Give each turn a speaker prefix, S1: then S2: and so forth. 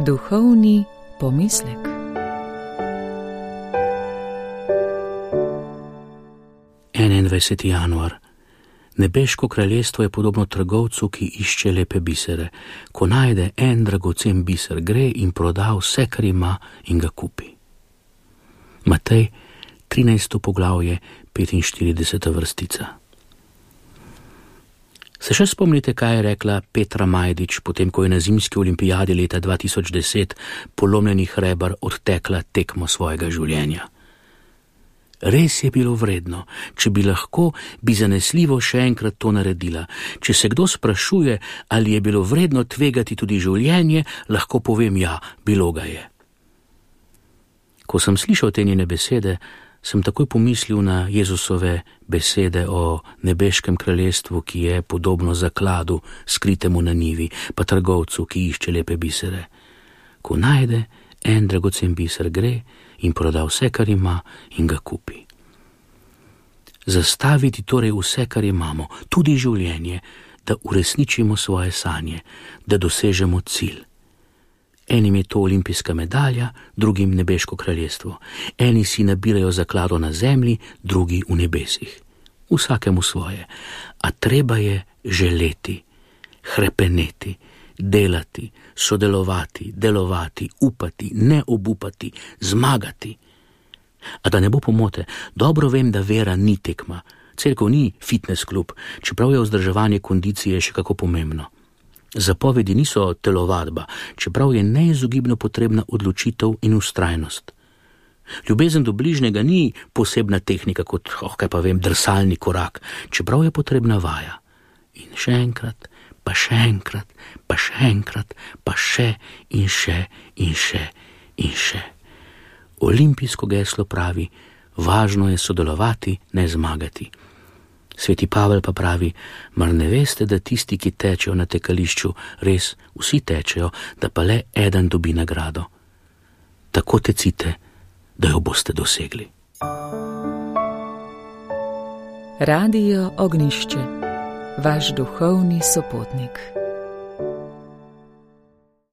S1: Duhovni pomislek.
S2: Januar. Nebeško kraljestvo je podobno trgovcu, ki išče lepe bisere. Ko najde en dragocen biser, gre in proda vse, kar ima, in ga kupi. Matej, 13. poglavje, 45. vrstica. Se še spomnite, kaj je rekla Petra Majdič, potem ko je na zimski olimpijadi leta 2010 polomljenih reber odtekla tekmo svojega življenja? Res je bilo vredno, če bi lahko, bi zanesljivo še enkrat to naredila. Če se kdo sprašuje, ali je bilo vredno tvegati tudi življenje, lahko povem ja, bilo ga je. Ko sem slišal te njene besede, sem takoj pomislil na Jezusove besede o nebeškem kraljestvu, ki je podobno zakladu, skritemu na njivi, pa trgovcu, ki išče lepe bisere. Ko najde en dragocen biser, gre in proda vse, kar ima, in ga kupi. Zastaviti torej vse, kar imamo, tudi življenje, da uresničimo svoje sanje, da dosežemo cilj. Enim je to olimpijska medalja, drugim nebeško kraljestvo. Eni si nabirajo zaklado na zemlji, drugi v nebesih. Vsakemu svoje. A treba je želeti, hrepeneti, delati, sodelovati, delovati, upati, ne obupati, zmagati. A da ne bo pomote, dobro vem, da vera ni tekma. Cerkev ni fitness klub, čeprav je vzdrževanje kondicije še kako pomembno. Zapovedi niso telovadba, čeprav je neizogibno potrebna odločitev in vztrajnost. Ljubezen do bližnjega ni posebna tehnika kot, kaj pa vem, drsalni korak, čeprav je potrebna vaja. In še enkrat, pa še enkrat, pa še enkrat, pa še in še in še in še. Olimpijsko geslo pravi, važno je sodelovati, ne zmagati. Sveti Pavel pa pravi, mar ne veste, da tisti, ki tečejo na tekališču, res vsi tečejo, da pa le eden dobi nagrado. Tako tecite, da jo boste dosegli.
S1: Radio Ognjišče, vaš duhovni sopotnik.